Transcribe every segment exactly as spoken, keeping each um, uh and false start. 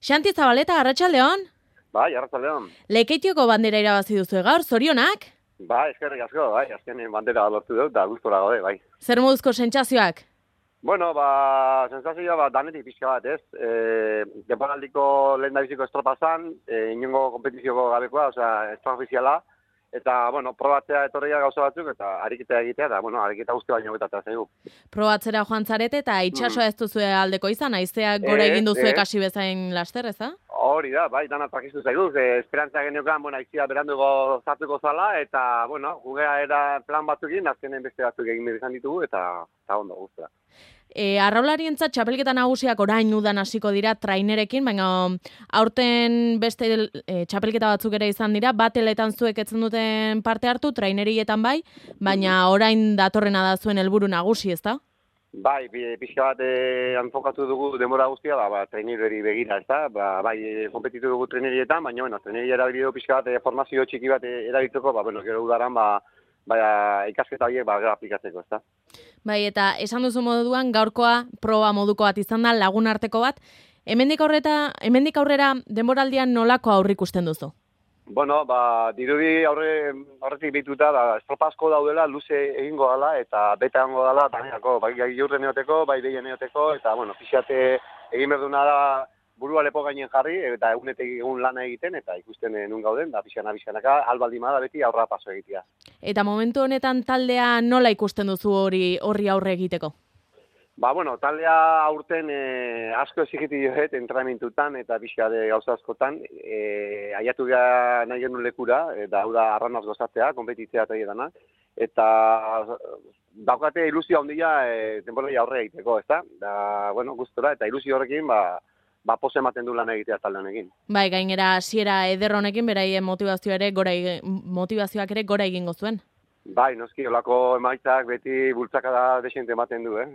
Xanti Zabaleta, arratsaldeon. Bai, arratsaldeon. Lekeitioko bandera irabazi duzu gaur, zorionak? Bai, eskerrik asko, bai, azkenen bandera lortu dut, da gustora gaude, bai. Zer moduzko sentsazioak? Bueno, ba, sensazioa ba, danetik pixka bat, ez? E, Denboraldiko lehendabiziko estropa zan, e, inongo kompetizioko gabekoa, osea, extraofiziala, eta, bueno, probatzea etorria gauza batzuk, eta ariketa egitea, eta, bueno, ariketa guzti baino betatzea zaigu. Probatzera joan zarete, eta itxasoa ez duzue aldeko izan, haizeak gora Ez, egin duzue ez. kasi bezain laster, ez da? Hori da, bai, dana trakistu zaigu, ze esperantza geniokan, bueno, aizia beranduko zartuko zala, eta, bueno, gugea era plan batzukin, azkenen beste batzuk egin behar izan ditugu, eta, eta ondo guztia. E, arraularientzat txapelketa nagusiak orain udan hasiko dira trainerekin, baina aurten beste e, txapelketa batzuk ere izan dira, bateletan zuek etzen duten parte hartu, trainerietan bai, baina orain datorrena da zuen helburu nagusi, ez da? Bai, pixka bat eh, enfokatu dugu denbora guztia, ba, ba, trainereri begira, ez da? Ba, bai, eh, kompetitu dugu trainerietan, baina, bueno, traineria erabili dugu pixka bat eh, formazio txiki bat eh, erabiltzeko, ba, bueno, gero udaran, ba, ba, ikasketa horiek, ba, gero aplikatzeko, ez da? Bai, eta esan duzu moduan gaurkoa proba moduko bat izan da, lagun arteko bat. Hemendik aurreta, hemendik aurrera denboraldian nolako aurre ikusten duzu? Bueno, ba, dirudi aurre, aurretik behituta, ba, estropa asko daudela, luze egingo dela, eta beta egongo dela, bainako, bai jurren eoteko, bai behien eoteko, eta, bueno, pixate egin berduna da burua lepo gainen jarri, eta egunetek egun lana egiten, eta ikusten nun gauden, da pixana, pixanaka, albaldima da beti aurra paso egitea. Eta momentu honetan taldea nola ikusten duzu hori horri aurre egiteko? Ba, bueno, taldea aurten e, asko ezigitu joet entrenamentutan eta pixka de gauza askotan. E, aiatu gara nahi genuen lekura, eta hau da arranaz gozatzea, konpetitzea eta edana. Eta daukate ilusio handia e, denboraldia aurre egiteko, ezta? Da, bueno, gustora, eta ilusio horrekin, ba, ba pose ematen du lan egitea talde honekin. Bai, gainera hasiera eder honekin beraien motivazioa ere gora motivazioak ere gora egingo zuen. Bai, noski, olako emaitzak beti bultzakada desente ematen du, eh?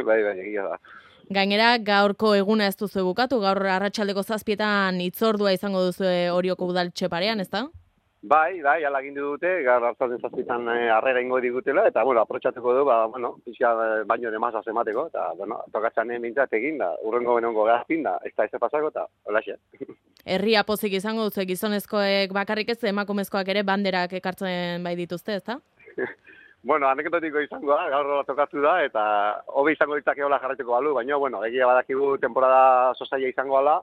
bai, bai, egia da. Gainera, gaurko eguna ez duzu bukatu, gaur arratsaldeko zazpietan hitzordua izango duzu Orioko Udaltxe parean, ezta? Bai, bai, ala gindu dute, gaur arratsaldeko zazpietan harrera ingo digutela, eta, bueno, aprotxatuko du, ba, bueno, pixka baino de masaz emateko, eta, bueno, tokatzanen bintzat egin, da, urrengo benongo gazpin, da, ez da ez pasako, eta, holaxe. Herria pozik izango duzu, gizonezkoek bakarrik ez, emakumezkoak ere banderak ekartzen bai dituzte, ezta? Bueno, anekdotiko izango da, gaur tokatu da, eta hobe izango ditzakeola jarraituko balu, baina, bueno, egia badakigu temporada sosaia izango ala,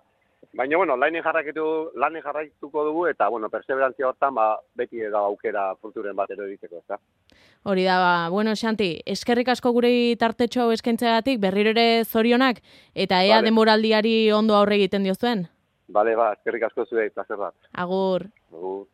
baina, bueno, lainen jarraituko, lainen jarraituko dugu, eta, bueno, perseverantzia hortan, ba, beti da aukera fruturen bat ero egiteko, ezta? Hori da, ba, bueno, Xanti, eskerrik asko gure tartetxo hau eskaintzeagatik, berriro ere zorionak, eta ea vale. Denboraldiari ondo aurre egiten diozuen. Bale, ba, eskerrik asko zuei, plazer bat. Agur. Agur.